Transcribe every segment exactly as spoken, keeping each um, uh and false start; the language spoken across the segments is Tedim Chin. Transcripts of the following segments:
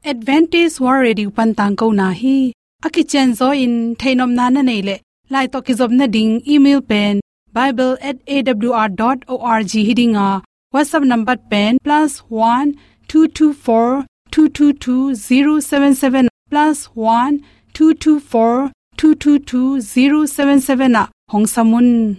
Adventist World Radio pan tangkona hi. A kicianzaw in theihnopna na neih leh, lai tawh kizopna ding email pen bible at A W R dot org hi ding a, WhatsApp number pen plus one two two four two two two zero seven seven, plus one two two four two two two zero seven seven ah hong sam un.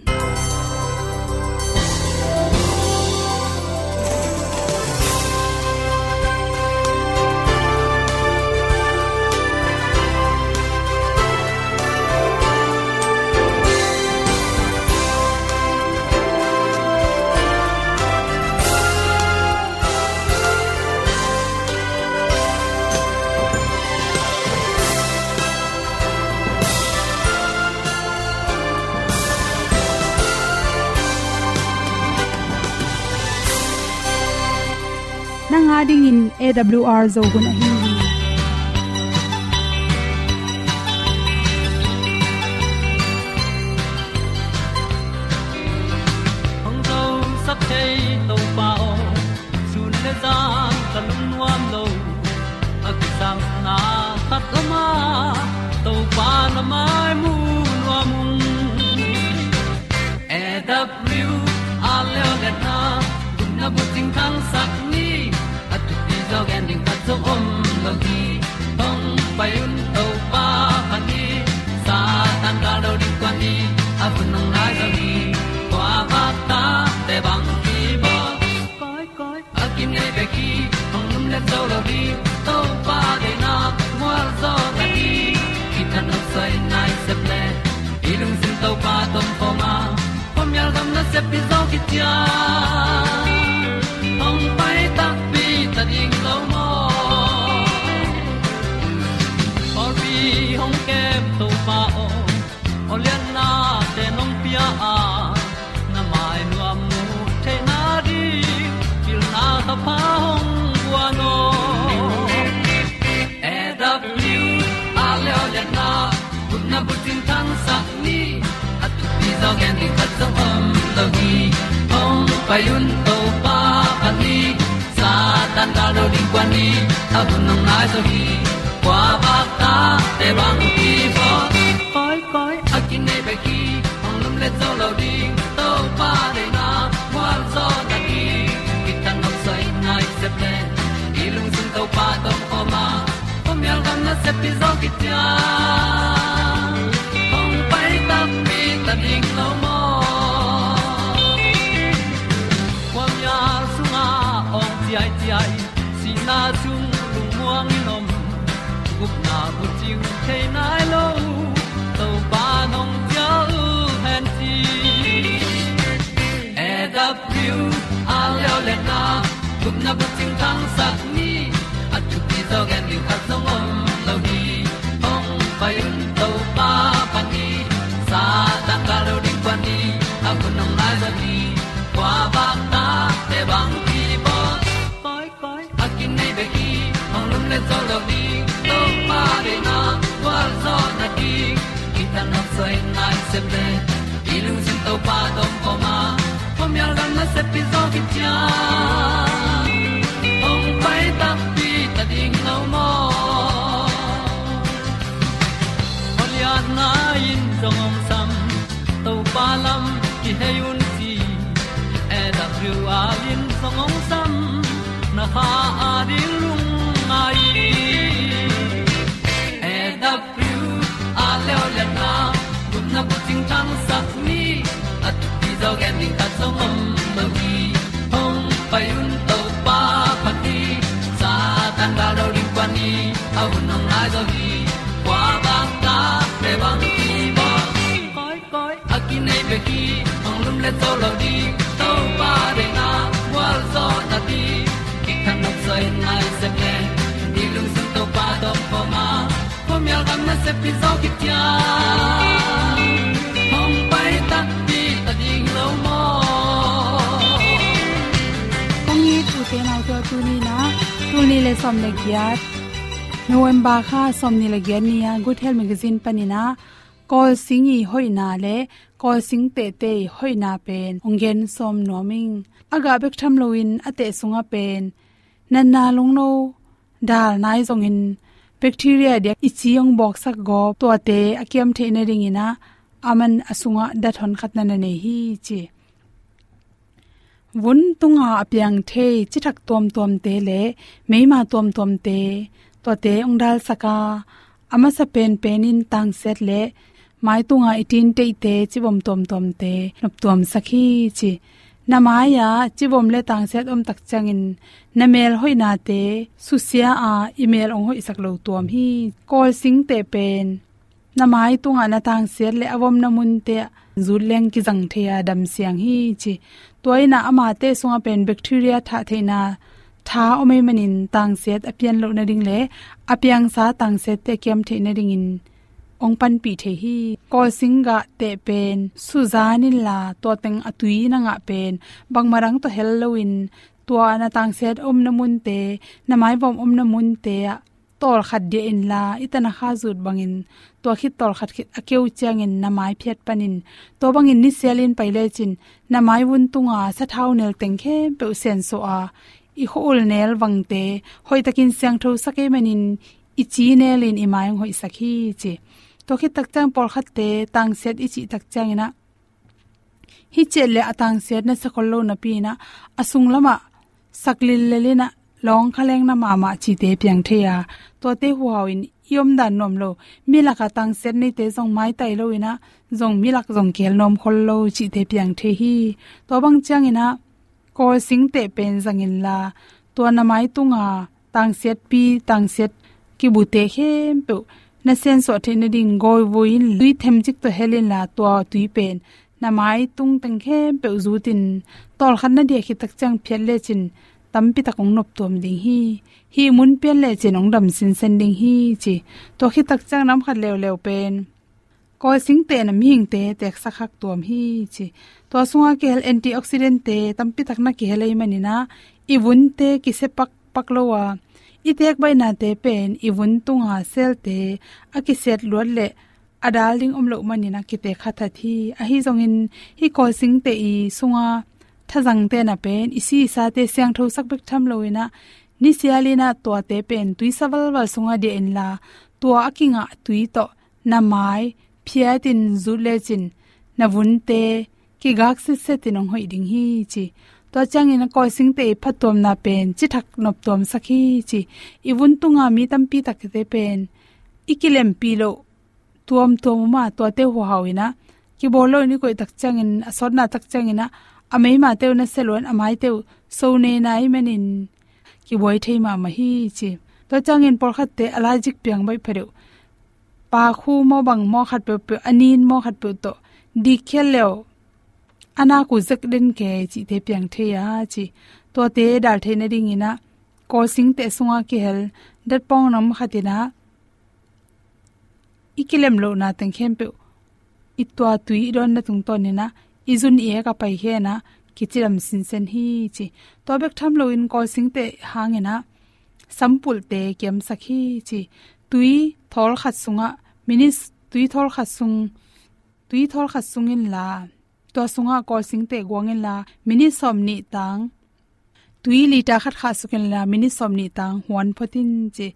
Nang a dingin A W R Zo hun ahi hi. Hong zosak thei Topa aw, sun le zan ka lungnuam lo. A kisapna khat lam ah Topa na mai mu nuam ung. A W R Leolehna gupna bucing thangsak ni, a thupi zaw gen ding khat zong om lo hi. Hong pai un Topa phat ni, Satan gal do ding kuan ni, a hun hong nai zaw hi. Kua vak tate bang kibawl, kawikawi a kinei bek hi. Hong lumlet zo lo ding, Topa deihna mual zaw ta hi. Kithat nop suai nai sep leh, i lungsim Topa tawh om khawm a, khuamial gam nasep hi zaw khit ciang, hong pai takpi ta ding lo maw? Pawlpi hong kem Topa aw, awlianna te nong pia a, na mai nuam mu theihna ding pilna thapha hong guan aw. A W R Leolehna gupna bucing thangsak ni, a thupi zaw gen ding khat zong om lo hi. Hong pai un Topa phat ni, Satan gal do ding kuan ni, a hun hong nai zaw hi. Kua vak tate bang kibawl, kawikawi a kinei bek hi. Hong lumlet zo lo ding, Topa deihna mual zaw ta hi. Kithat nop suai nai sep leh, i lungsim Topa tawh om khawm a, khuamial gam nasep hi zaw khit ciang, hong pai takpi ta ding lo maw? Khuamial sungah awng ciaiciai, sihna sung lungmuang in om, gupna bucing thei nai lo, Topa nong cial hen ci. A W R Leolehna gupna bucing thangsak ni, a thupi zaw gen ding khat zong om lo hi. Hong pai un Topa phat ni, Satan gal do ding kuan ni, a hun hong nai zaw hi. Kua vak tate bang kibawl, kawikawi a kinei bek hi. Hong lumlet zo lo ding, Topa deihna gualzawhna ding, kithat nop suai nai sep leh, i lungsim Topa tawh om khawm a, khuamial gam nasep hi zaw khit ciang, hong pai takpi ta ding lo maw? Awlianna in zong hong sam, Topa lam kihei un ci. A W R in zong hong sam, na kha a ding lungngai hi. A W R Leolehna gupna bucing thangsak ni, a thupi zaw gen ding khat zong om lo hi. Hong pai un Topa phat ni, Satan gal do ding kuan ni, a hun hong nai zaw hi. Kua vak tate bang kibawl, kawikawi a kinei bek hi. Hong lumlet zo lo ding, Topa deihna gualzawhna ding, kithat nop suai nai sep leh, i lungsim Topa tawh om khawm a, khuamial gam nasep hi zaw khit ciang, hong pai takpi ta ding lo maw? Kong it u te nau te aw, tuni in ah, tul nih le sawm le giat, November kha sawmnih le giat ni-a Good Health Magazine panin ah, kawlsing i hoihna le kawlsing tehte i hoihna pen hong gen sawm nuam ing. A gah bek tham loin a teh sungah pen natna lungno, dal nai zongin bacteria diak i ci hong bawksak gawp tuate a kiam theih nadingin ah aman a sungah dat hon khat na na nei hi ci. Vun tunga a piang thei cithak tuamtuamte le meima tuamtuamte, tuate hong dalsak a, a masa penpen in tangsiat le mai tunga i tinteihte, civom tuamtuamte noptuamsak hi ci. Na mai-ah civom le tangsiat om tak ciangin na mel hoihnate susia a, i mel hong hoihsak lo tuam hi. Kawlsingteh pen na mai tungah na tangsiat le a vomna munte ah zut leng kizang thei a, damsiang hi ci. Tua in ah amate sungah pen bacteria thah theihna tha om ahih manin tangsiat a pian loh nading le a piangsa tangsiatte a kiam theih nadingin hong panpih thei hi. Kawlsing gah teh pen suzan inla, tua teng a tui na ngah pen bangmah dang tawh hel loin, tua na tangsiat omna munte, na maivom omna munte ah tawlkhat diah inla, i tanakha zut bangin tua khit tawlkhat khit a keu ciangin na mai phiat panin, tua bangin nisialin pai lecin na mai vun tunga sathau nel teng khempeuh sensuah a, i khua-ul nel vangte hoihtakin siangthosak ahih manin i ci nelin i mai hong hoihsak hi ci. Tua khit tak ciang pawlkhatte tangsiat i cih tak ciangin ah, hih ciat le a tangsiat na sia khol lo napi-in ah a sunglamah sak lillel in ah lawng kha leng na mahmah cihte piang thei a, tuate huhau in i omdan nuam lo. Milak a tangsiat neite zong maitai loin ah zong milak zong kihel nuam khol lo cihte piang thei hi. Tua bang ciangin ah Kawlsingteh pen zang inla, tua na mai tunga tangsiatpi, tangsiat kibute khempeuh na sensuah theih nading gawivui in tui themcik tawh hel inla, tua tui pen na mai tung teng khempeuh zutin, tawlkhat na diah khit tak ciang phiat lecin tampi tak hong noptuam ding hi. Hih mun pian lecin hong dam sinsen ding hi ci. Tua khit tak ciang nam khat leuleu pen Kawlsingteh in ah mihingte teeksak khak tuam hi ci. Tua sungah kihel antioxidantte tampi tak na kihel ahih manin ah i vunte kisia pakpak lo a, i teek baihnate pen i vun tunga cell-te a kisiat luat leh a dal ding om loh manin ah kiteek kha that hi. Ahi zongin hih Kawlsingteh i sunga thazangte in ah pen i si i sate siangthosak bek tham loin ah, nisialin ah tuate pen tuisa valval sungah diah inla, tua a kingah tui tawh na mai phiatin zut lecin na vunte kigak sitsetin hong hoih ding hi ci. Tua ciangin Kawlsingteh i phattuamna pen cithak noptuamsak hi ci. I vun tunga mi tampi takte pen i kilempih loh tuamtuam om a, tuate huhau in ah kibawl loin i koih tak ciangin, a sawtna tak ciangin ah a meimate uh na sia lo-in a maite uh so nei na ahih manin kibuai thei mahmah hi ci. Tua ciangin pawlkhatte allergic piang baih phadeuh, pakhu maw bang maw khat peuhpeuh, a nin maw khat peuh tawh dik khial leuh, a nak uh zek den kei cihte piang thei a ci. Tuate dal theih nadingin ah Kawlsingteh sungah kihel datpawng nam khat in ah i kilem lohna teng khempeuh i tua tui i dawnna tungtawnin ah i zun i ek a paikhia in ah kicidam sinsen hi ci. Tua bek tham loin Kawlsingteh hangin ah sampulhte kiamsak hi ci. Tui thawl khat sungah minit, tui thawl khat sung, tui thawl khat sung inla, tua sungah Kawlsingteh guang inla, minit sawmnih tang, tui liter khat khahsuk inla, minit sawmnih tang huan phot in ci.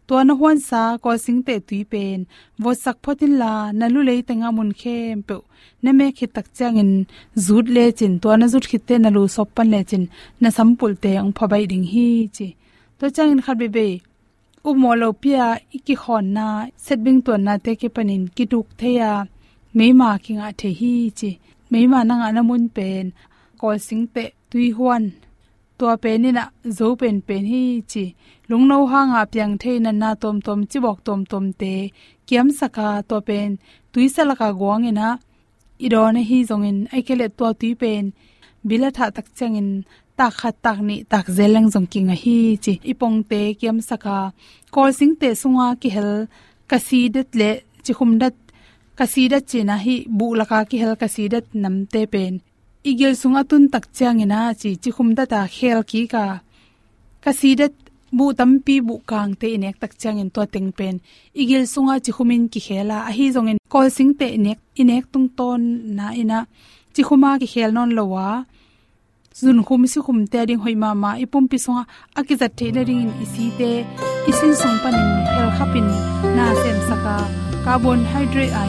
Tua na huansa Kawlsingteh tui pen votsak phot inla, na lu lei tengah mun khempeuh na mek khit tak ciangin zut lecin, tua na zut khitte na lu sawp pan lecin na sampulhte hong pha baih ding hi ci. Tua ciangin khat veivei upmawh lopi-a i kikhawnna, setbing tuannate kipanin kituk thei a, meima kingah thei hi ci. Meima na ngahna mun pen Kawlsingteh tui huan, tua pen in ah zo penpen hi ci. Lungno hanga piang thei natna tuamtuam, cibawk tuamtuamte kiamsak a, tua pen tuisa laka guang in ah i dawn ahi zongin, ahih kei leh tua tui pen bil a thah tak ciangin tak khat, tak nih, tak zel leng zong kingah hi ci. I pongte kiamsak a, Kawlsingteh sunga kihel kasidat le cikhumdat, kasidat ci-in ah hih buh laka kihel kasidat namte pen i gil sung a tun tak ciangin ah ci, cikhumdat a khel kik a, kasidat buh tampi, buh kangte i nek tak ciangin tua teng pen i gil sungah cikhumin kikhel a, ahi zongin Kawlsingteh i nek, i nek tungtawn na in ah cikhuma kikhel nawn lo a, Zunkhum sikhumte a ding hoih mahmah, i pumpi sungah a kizat theih nadingin i site i sin sung panin helkhapin na semsak a, carbohydrate a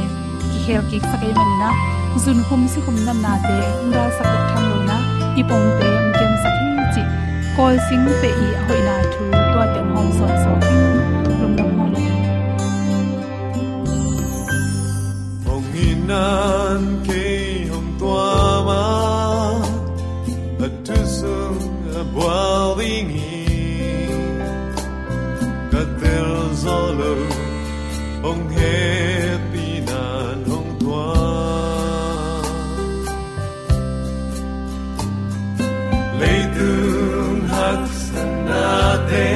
kikhelkiksak ahih manin ah, zunkhum sikhum natnate hong dalsak bek tham loin ah, i pongte hong kemsak hi cih Kawl singte i a hoihna thu tuate hong hawmsawn sawm ing. Lungdam hong. Hong itna in kei hong tuam a, a thu sung a bual ding hi. Ka tel zo lo, hong hehpihna in hong tuam. Leitung haksatnate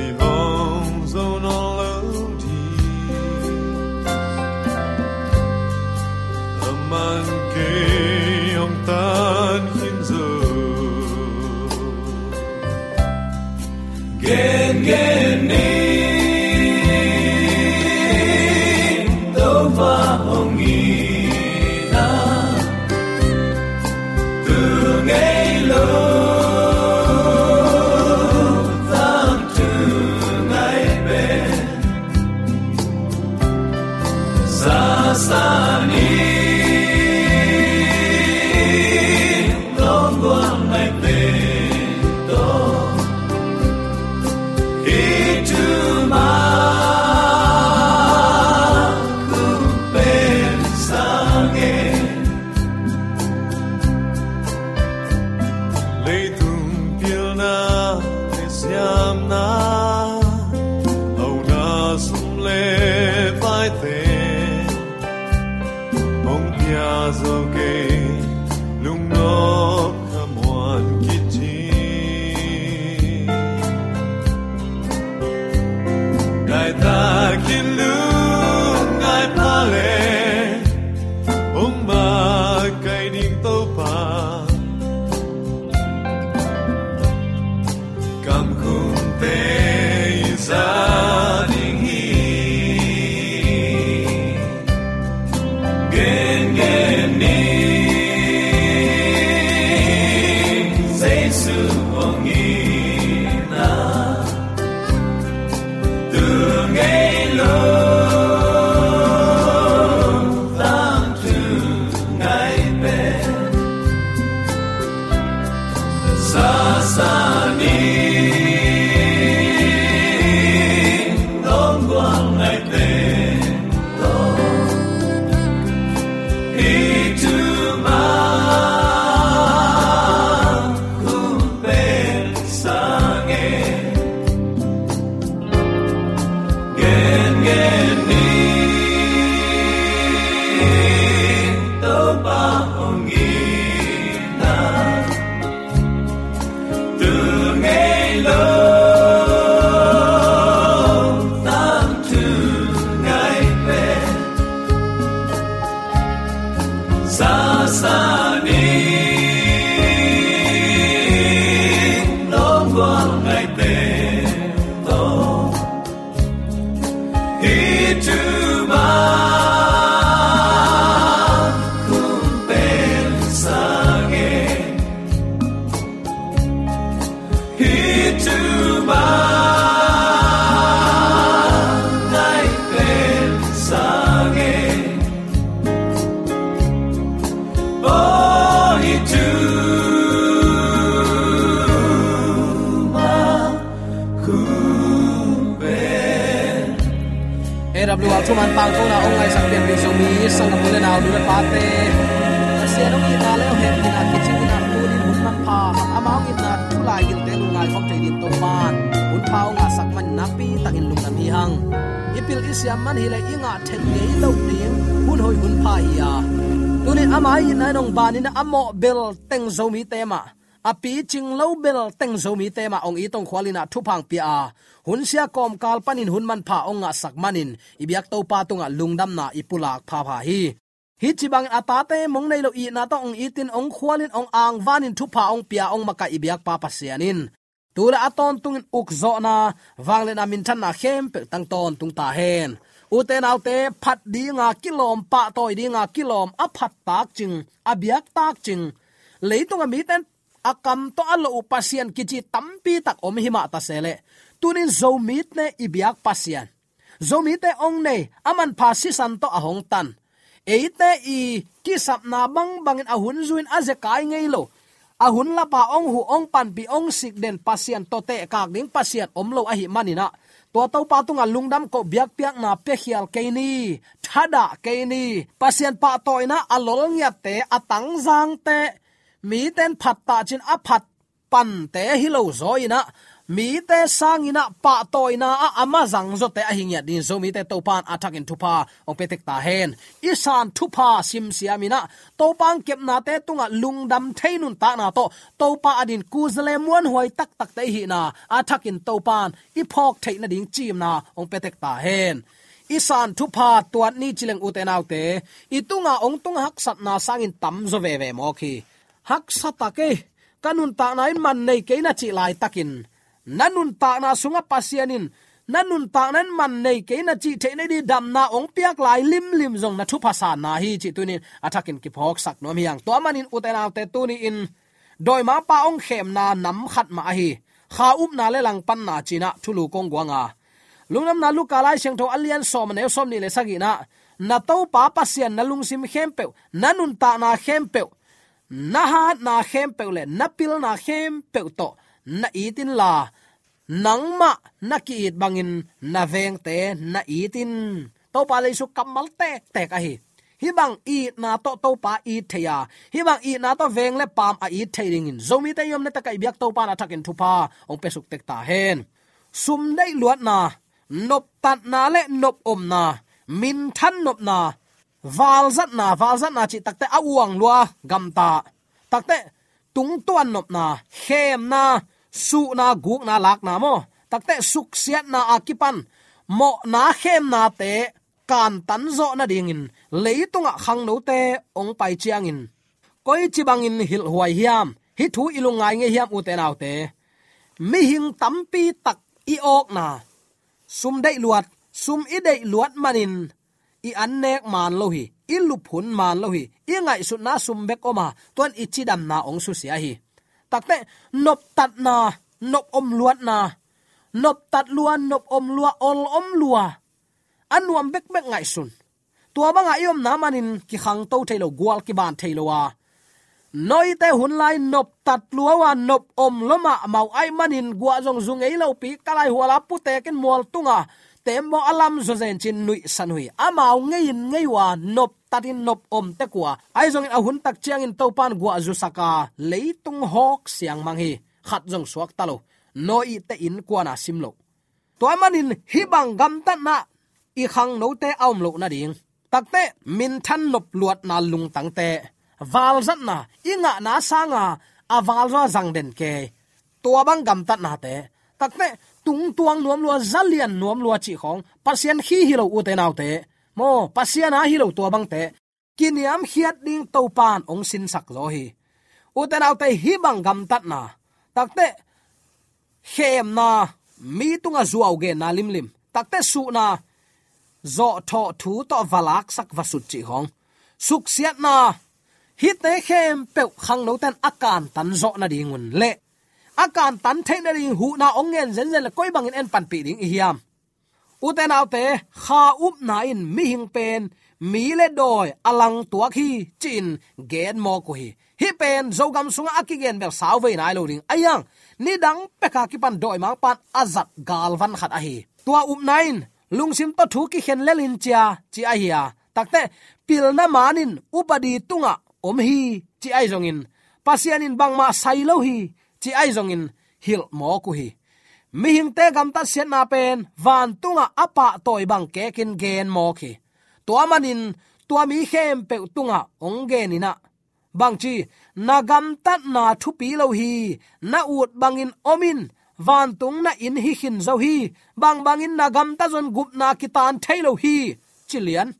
i hong zo nawn lo ding. Aman kei hong tan khin zo. Gengen ni, Topa hong itna, tu ngei lo, tangthu ngai pen. Sasa ni, longgual ngai pen to. Itu ma ku pen sange. Leitung pilna le siamna, hauna sum le paite, hong pia zo kei, lungnop khamuan kit hi. Ngai takin lungngai pha le, hong makaih ding Topa. Kamkhumte i za ding hi. Gengen ni, Jesu hong itna, tu ngei lo, tangthu ngai pen. Sasa ni, longgual ngai pen to. Itu ma ku pen sange. Gengen ni, Topa hong itna, tu ngei lo, tangthu ngai pen. Sasa ni, longgual ngai pen to. Itu ma ku pen sange. Itu ma ngai pen sange. Oh, itu ma ku pen. A W R thuman pangkona hong ngaihsak pianpih Zomi sanggam u le nau, nu le pate, Pasian hong itna le hong hehpihna kicing in ah, tunin hun manpha, amah hong itna thu lai gilte lungngai khawm thei dingin Topa'n hun pha hong ngahsak man nakpi takin lungdam hi hang. I pil i siam man hi leh i ngah thei ngei loh ding hun hoih hun pha hi a, tunin ama itna in hong ban in ah, a mawh bel teng Zomite mah, a picing lo bel teng Zomite mah hong it hong khual in ah thupha hong pia a, hun sia kawmkal panin hun manpha hong ngahsak manin i biak Topa tungah lungdamna i pulak phapha hi. Hih ci bangin a tate mong nei lo itna tawh hong itin hong khualin hong angvanin thupha hong pia hong makaih i biakpa Pasian in tu le a tawntungin ukzawhna, vangliatna, minthanna khempeuh tang tawntung ta hen. Ute naute, phat dinga kilawm, pahtawi dinga kilawm, a phat takcing, a biak takcing, Leitunga mite in a kam tawh a loh uh Pasian kici tampi tak om hi mah ta se leh, tunin Zomite i biak Pasian, Zomite hong nei, a manpha sisan tawh a hong tan, eite i kisapna bangbangin a hun zui-in a zekai ngei lo, a hun lapa hong huh, hong panpih, hong sik den Pasian, tawh tehkak ding Pasian om lo ahih manin ah, tua Topa tungah lungdam koh, biakpiakna piakhial kei ni, thadah kei ni. Pasian pahtawina a lolngiatte, a tangzangte, mite in phat tah ci-in a phat pante hi lo zaw in ah, mite sangin ah pahtawina ah a mazang zawte ahi ngiat dingin Zomite Topa in a thakin thupha hong pia tek ta hen. I san thupha simsiam in ah, Topa hong kepnate tungah lungdam thei nuntakna tawh Topa adingin kuzale muanhuai taktakte i hihna a thakin Topa in i phawk theih nading ciimna hong pia tek ta hen. I san thupha tuat ni ci leng, ute naute, i tungah hong tung haksatna sangin tamzaw veve mawk hi. Haksa tak ei, ka nuntakna in man nei kei na cih laitakin, na nuntakna sungah Pasian in na nuntakna in man nei kei na cih theih nading damna hong piak lai limlim zong na thupha sanna hi cih tunin a thakin kiphawksak nuam hi hang. Tua manin, ute naute, tuni-in dawimangpa hong khemna nam khat mah ahi, kha upna le langpanna ci-in ah thulu kong guang a, Lungdamna Luka Lai Siangtho a lian sawm, a neu sawmnih le sagihna ah, na Topa Pasian na lungsim khempeuh, na nuntakna khempeuh, na hatna khempeuh le na pilna khempeuh tawh na it inla, nangmah na ki-it bangin na vengte na it in. Topa Jesu kammal tektek ahi. Hih bang itna tawh Topa it thei a, hih bang itna tawh veng le paam a it thei dingin Zomite i omna tak ah i biak Topa in a thakin thupha hong pia suk tek ta hen. Sum deih luatna, noptatna le nop omna, minthan nopna, valzatna, valzatna cih takte a uang lua gamta, takte tungtuan nopna, khemna, suhna, gukna, lakna maw, takte suksiatna a kipan mawhna, khemnate kantan zawh nadingin leitungah khangnote hong pai ciangin koici bangin hilhhuai hiam? Hih thu i lungngai ngei hiam, ute naute? Mihing tampi tak i awkna, sum deih luat, sum i deih luat manin i annek man lo hi, i lup hun man lo hi, i ngaihsutna sum bek om a, tuan i cidamna hong susia hi. Takte noptatna, nop om luatna, noptat lua, nop om lua, ol om lua, a nuam bekbek ngaihsun. Tua banga i omna manin kikhangto thei lo, gual kiban thei lo a, Noah-te hun lai noptat lua uh a, nop om lua mahmah uh ahih manin guah zong zu ngei lopi, ka lai hual a putekin mual tunga teembaw a lam zaw zen ci-in nuihsan uh hi. Amau ngei in ngei uh a, noptatin nop om tek uh a, ahi zongin a hun tak ciangin Topa in guah zusak a, leitung hawk siangmang hi. Khat zong suakta lo. Noah-te innkuan a sim loh. Tua manin hih bang gamtatna i khangnote a om loh nading, takte minthan nop luatna lungtangte, valzatna, i ngahna sanga a valzaw a zang den kei, tua bang gamtatnate, takte tungtuang nuam lua, zalian nuam lua cih khawng, Pasian khi hi lo, ute naute, maw, Pasian a hi lo tua bangte kiniamkhiat ding Topa in hong sinsak zaw hi. Ute naute, hih bang gamtatna, takte khemna, mi tungah zuau genna limlim, takte suhna, zawhthawh thu tawh va laksak va sut cih khawng, suksiatna, hihte khempeuh khangnote in a kantan zawh nadingun le a kantan theih nading huhna hong ngen zenzen le koi bangin en panpih ding i hiam? Ute naute, kha upna in mihing pen mi le dawi a langtuak hi, ci-in gen mawk uh hi. Hih pen Zogam sungah a kigen bel sau vei nai lo ding a hiang, nidang peka kipan dawimangpa in a zat galvan khat ahi. Tua upna in lungsim tawh thu kikhen lel in cia, ci ahi a, takte pilna man in upadi tungah om hi, ci ahi zongin, Pasian in bangmah sai lo hi, ci ahi zongin hilh mawk uh hi. Mihingte gamtatsiatna pen vantungah a pahtawi bang kekin gen mawk hi. Tua manin tua mi khempeuh tungah hong gen in ah, bangci, na gamtatna thupi lo hi, na ut bangin om in, vantung na inn hi khin zo hi, bangbangin na gamtat zong gupna kitan thei lo hi, ci lian.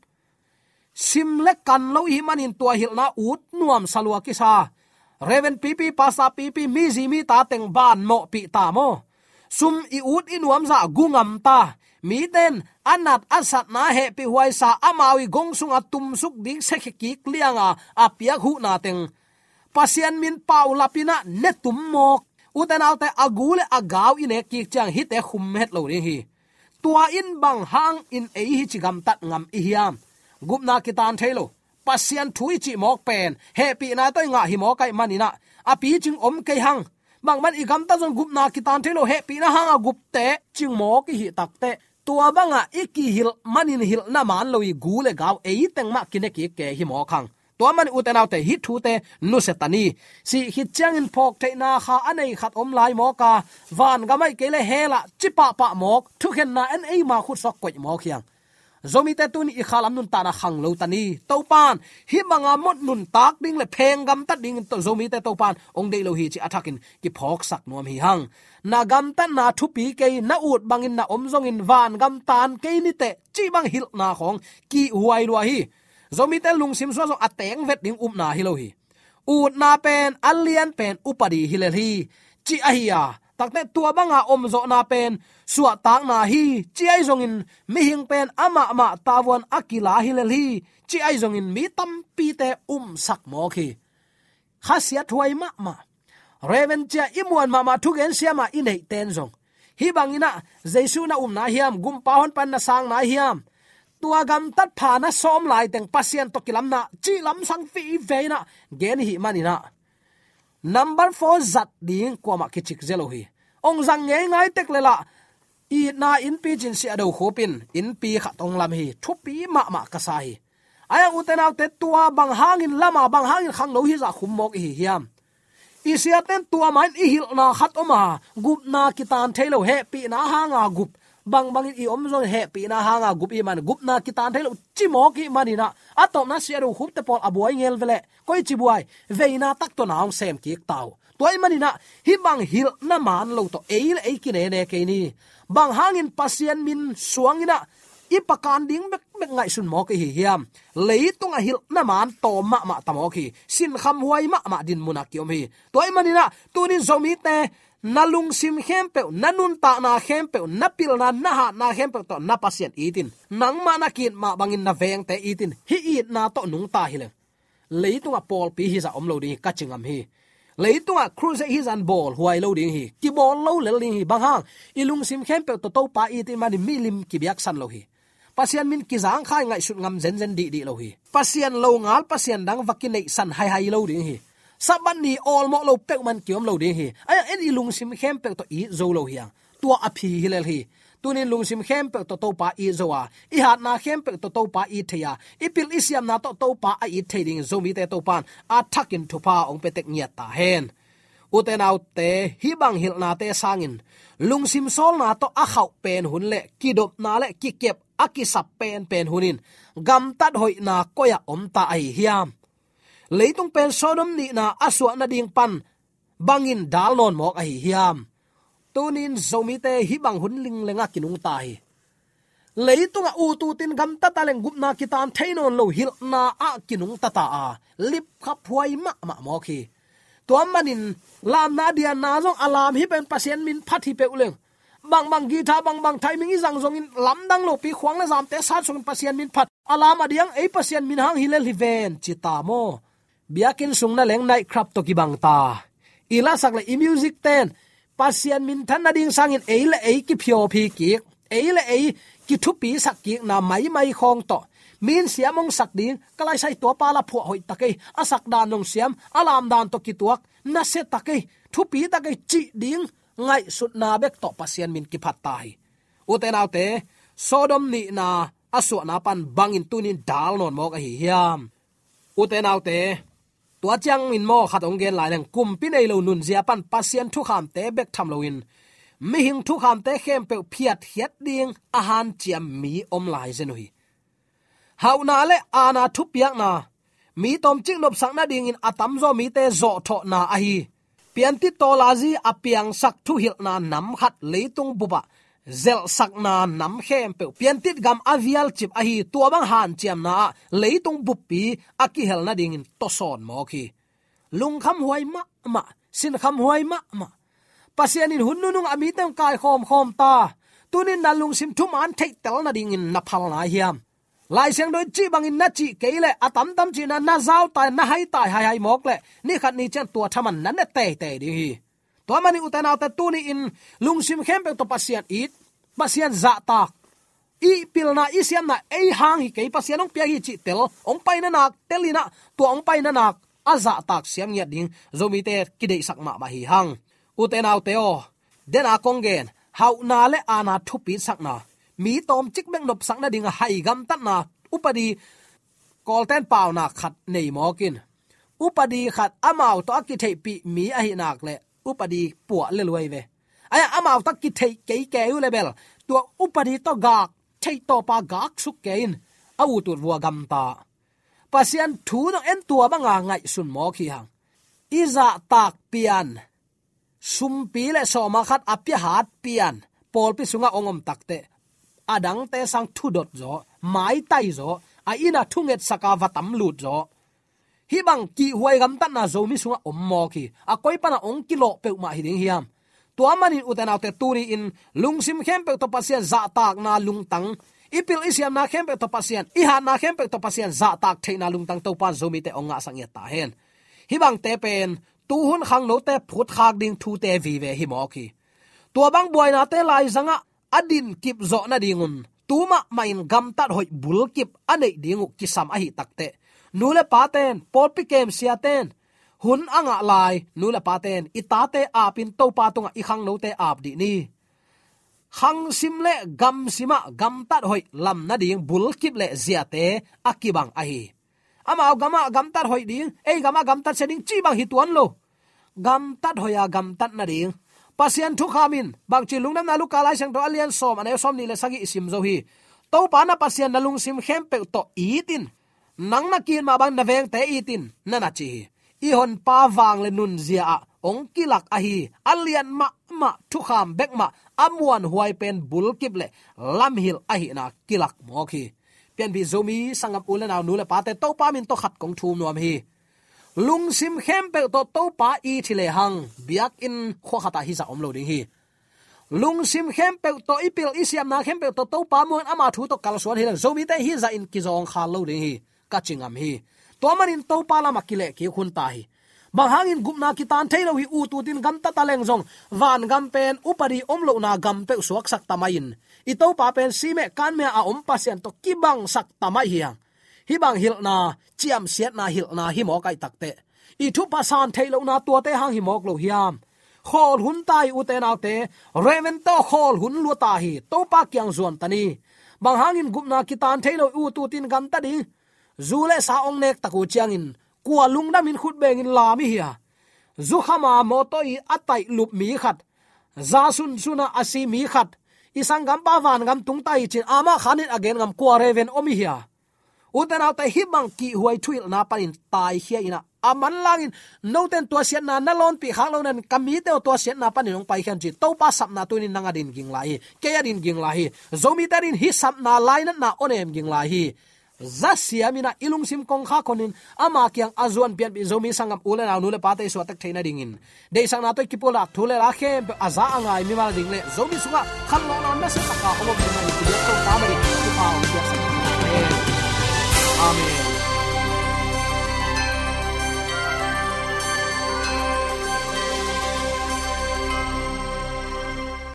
Sim le kan lo i hih manin tua hilhna ut nuamsa lua kisa. Reverend pipi, pastor pipi, mi zi mi ta teng ban mawhpih ta maw? Sum i ut i nuamzah gu ngam ta. Mite in a nat a satna hehpih huaisa, amau i gong sunga tumsuk ding sekhia kik lianga a piak huhna teng Pasian min paulap in ah ne tum mawk. Ute naute, a gu le a gau i nek kik ciang hihte khum het lo ding hi. Tua in bang hangin ei hi ci gamtat ngam i hiam? Gupna kitan thei lo. Pasian thu i cih mawk pen hehpihna tawh i ngah hi mawk ahih manin ah a picing om kei hang. Bangban i gamtat zong gupna kitan thei lo, hehpihna hanga gupte cing mawk i hih takteh, tua bangah i kihilh manin hilhna man lo i gu le gau ei teng mah kine kik kei hi mawk hang. Tua manin ute naute, hih thute nusia ta ni. Sih khit ciangin phawk theihna kha a nei khat om lai mawk a, vangam ahih kei leh hell ah ci pahpah mawk, thukhenna in eima khut suak koih mawk hi hang. Zomite tuni i khalam nuntakna khang lo ta ni. Topan hih banga mawh nuntak ding le pheng gamtat dingin Zomite Topan hong deih lo hi cih a thakin kiphawksak nuam hi hang. Na gamtatna thupi kei, na ut bangin na om zongin vangam tan kei ni teh cih bang hilhna khawng kihhuai lua hi. Zomite lungsim sungah zong a teng vet ding upna hi lo hi. Utna pen a lian pen upadi hi lel hi, ci ahi a, takteh tua banga omzawhna pen suahtakna hi, ci ahi zongin mihing pen amahmah tavuan a kila hi lel hi, ci ahi zongin mi tampite umsak mawk hi. Khasiat huai mahmah. Reverend cia i muan mahmah, thugen siama i neihten zong hih bangin ah Jesu na upna hiam, Gumpa hong panna sangna hiam, tua gamtat pha na sawm laiteng Pasian tawh kilamna cih lamsang vive in ah gen i hih manin ah, number four zat ding kuamah kicik zel uh hi. Hong zang ngeingai tek le lah, itna innpi cin Sia Do Khup in innpi khat hong lam hi. Thupi mahmah ka sa hi. Ahi hang ute naute, tua bang hangin lama, bang hangin khangno hizah khum mawk i hi hiam? I siaten tua mah in i hilhna khat om a, gupna kitan thei lo, hehpihna hanga gup. Bangbangin i om zong hehpihna hanga gup i hih man, gupna kitan thei lo ci mawk i hih manin ah, a tawpna Sia Do Khupte pawl a buai ngel ve leh, koici buai, veina tak tawh na hong sem kik ta uh. Tua i hih manin ah, hih bang hilhna man lo tawh ei le ei kinene kei ni. Bang hangin Pasian min suangin ah i pakan ding bekbek ngaihsun mawk i hi hiam? Leitungah hilhna man tawm mahmah ta mawk hi. Sinkham huai mahmah dinmunah ki-om hi. Tua i hih manin ah, tunin Zomite, na lungsim khempeuh, na nuntakna khempeuh, na pilna, na hatna khempeuh tawh na Pasian it in. Nangmah na ki-it mah bangin na vengte it in. Hih itna tawh nungta hi leng, leitungah pawlpi hizah om lo ding hi, ka ci ngam hi. Leitungah crusade hizah bawl huai lo ding hi. Kibawl lo lel ding hi. Bang hang? I lungsim khempeuh tawh Topa it i hih manin milim kibiaksan lo hi. Pasian min kizangkhai ngaihsut ngam zenzen dihdih lo hi. Pasian longal pasian dang va kineihsan haihai lo ding hi. Sabbath ni awlmawh lo peuhmah ki-om lo ding hi. Ahi hang en, i lungsim khempeuh tawh it zo lo hi hang. Tua a phi hi lel hi. Tunin lungsim khempeuh tawh Topa it zo a, i hatna khempeuh tawh Topa it thei a, i pil i siamna tawh Topa a it thei dingin Zomite Topan a thakin thupha hong pia tek ngiat ta hen. Ute naute, hih bang hilhnate sangin lungsim sawlna tawh a khauh pen hun le kidopna le kikep a kisap penpen hun in gamtat hoihna koi-ah om ta ahi hiam? Leitung pen Sodom nihna a suah nading pan bangin dal nawn mawk ahi hiam? Tunin Zomite hih bang hun linglengah kinungta hi. Leitungah ututin gamtat a leng gupna kitan thei nawn lo, hilhna ah kinungta ta a, lipkhap huai mahmah mawk hi. Tua manin lamna dianna zong a lam hi pen Pasian min phat hi peuh leng, bangbang guitar, bangbang timing i zang zongin lamdang lopi khuang le zamte sat sungin Pasian min phat, a lam a diang ei Pasian min hang hi lel hi ven ci ta maw? Biakinn sung na leng night club tawh kibang ta. I lasak le i music ten Pasian minthan nading sangin ei le ei kiphiawphi kik, ei le ei kithupisak kikna maimai khawng tawh, min siam hong sak ding, ka laisai tua pa la phuah hoih ta kei, a sak dan nong siam, a lam dan tawh kituak, nasia ta kei, thupi ta kei cih ding ngaihsutna bek tawh Pasian min kiphat ta hi. Ute naute, Sodom nihna a suahna pan bangin tunin dal nawn mawk ahi hiam? Ute naute, tua ciangin maw khat hong gen lai leng, kumpi nei lo nunzia pan Pasian thukhamte bek tham loin mihing thukhamte khempeuh phiatkhiat ding a hanciam mi om lai zen uh hi. Hauhna le aana thupiakna, mi tawmcik nopsak nadingin a tamzaw mite zawhthawhna ahi. Piantit tawlazi a piangsak thuhilhna nam khat leitung bupah zelhsakna nam khempeuh, piantit gam a vialcip ahi, tua bang hanciamna ah leitung buppi a kihel nadingin tawsawn mawk hi. Lungkham huai mahmah, sinkham huai mahmah. Pasian in hun nunung a mite hong kaikhawmkhawm ta. Tunin na lungsim thuman theihtel nadingin na phal nai hiam? Lai Siangtho in cih bangin na cih kei leh a tamtam cihna na zautai, na haitai haihai mawk leh ni khat ni ciang tua thaman na ne teitei ding hi. Tua manin ute naute, tuni-in lungsim khempeuh tawh Pasian it, Pasian zahtak, i pilna, i siamna ei hang hi kei, Pasian hong piak hi cih tel, hong paina nak tel in ah, tua hong paina nak a zahtak siam ngiat ding Zomite kideihsak mahmah hi hang. Ute naute aw, den a kong gen, hauhna le aana thupitsakna, mi tawmcik bek nopsak nading a hai gamtatna upadi, Kawlten paunak khat nei mawk in, upadi khat amau tawh a kitheihpih mi ahih nak leh upadi puah le luai ve. Ai-ah amau tawh kitheih kei kei uh leh bel, tua upadi tawh gak, theih tawpa gak suk kei in, a ut ut vua gamta. Pasian thu tawh en tua banga ngaihsun mawk hi hang. I zahtak pian, sumpi le sawma khat a pia hat pian, pawlpi sungah hong om takteh, a dangte sang thudot zaw, maitai zaw, a inn ah thungetsak a va tam lut zaw. Hih bang kihhuai gamtatna Zomi sungah om mawk hi. A koi pana hong kilawh peuhmah hi ding hiam? Tua manin ute naute, tuni-in lungsim khempeuh tawh Pasian zahtakna lungtang, i pil i siamna khempeuh tawh Pasian, i hatna khempeuh tawh Pasian zahtak theihna lungtang Topan Zomite hong ngahsak ngiat ta hen. Hih bangte pen tuhun khangnote phutkhak ding thute vive hi mawk hi. Tua bang buainate laizangah a dinkip zawh nadingun, tu mahmah in gamtat hoih bulkip a neih ding uh kisam ahih takteh, nu le paten, pawlpi kemsiaten, hun a ngah lai nu le paten i tate apin Topa tungah i khangnote ap dih ni. Khangsim le gamsimah gamtat hoih lam nading bulkip le ziate a kibang ahi. Amau gamah gamtat hoih ding, ei gamah gamtat sia ding cih bang hi tuan lo. Gamtat hoih a gamtat nading Pasian thukham in bangci lungdamna, Luka Lai Siangtho a lian sawm, a neu sawmnih le sagih i sim zo hi. Topa na Pasian na lungsim khempeuh tawh it in, nang na ki-it mah bang na vengte it in, na na ci hi. I honpa vang le nunzia ah hong kilak ahi a lian mahmah thukham bek mah a muanhuai pen bulkip le lamhilh ahihna kilak mawk hi. Pianpih Zomi sanggam u le nau, nu le pate, Topa min tawh khat kong thum nuam hi. Lungsim khempeuh tawh Topa it hi lehang, biakinn khua khatah hih zah om lo ding hi. Lungsim khempeuh tawh, i pil i siamna khempeuh tawh Topa muang in ama thu tawh kalsuan hi leng, Zomite hih zah in kizawngkhal lo ding hi, ka ci ngam hi. Tua manin Topa lamah kilehkik hun ta hi. Bang hangin gupna kitan thei lo hi? Ut utin gamtat a leng zong vangam pen upadi om lohna gam peuh suaksak ta mai-in, i Topa pen simeh kanmeh a om Pasian tawh kibangsak ta mai hi hang. Hih bang hilhna, ciamsiatna hilhna hi mawk ahih takteh, i thupha san theih lohna tuate hang hi mawk lo hiam? Khawl hun ta hi, ute naute, Reverend tawh khawl hun lua ta hi. Topa kiang zuan ta ni. Bang hangin gupna kitan thei lo hi? Ut utin gamta ding. Zu le sa hong nek tak uh ciangin kua lungdamin khut bengin lam i hi a? Zukhama mawtaw i a taih lup mi khat, za sunsunah a si mi khat, i sanggampa vangam tung ta hi ci-in amah khanin a gen ngam kua Reverend om i hi a? Ute naute, hih bang kihhuai thuhilhna panin taikhia in ah, a manlangin noten tua siatna na lawnpih khak lo nan ka mite aw, tua siatna panin hong paikhia un ci. Topa sapna tunin nang a din ging lai hi. Kei a din ging lai hi. Zomite a din hih sapna lainatna hong nem ging lai hi. Za siam in ah i lungsim kongkhak honin ama kiang a zuan, pianpih Zomi sanggam u le nau, nu le pate i suahtak theih nadingin, deihsakna tawh i kipulak thu le la khempeuh a za a ngai mimal ding le Zomi sungah khanlawhna nasia taka hong om ding hi. Amen.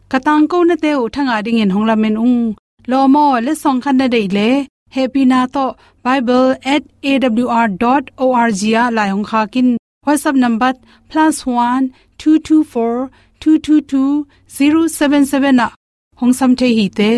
Ka tangkonate uh thangah dingin hong lamen ung. Lawm aw, letsong khat na deih leh hehpihna tawh bible at A W R dot O R G ah lai hong khak in. WhatsApp number plus one two two four two two two zero seven seven ah hong sam thei hi te.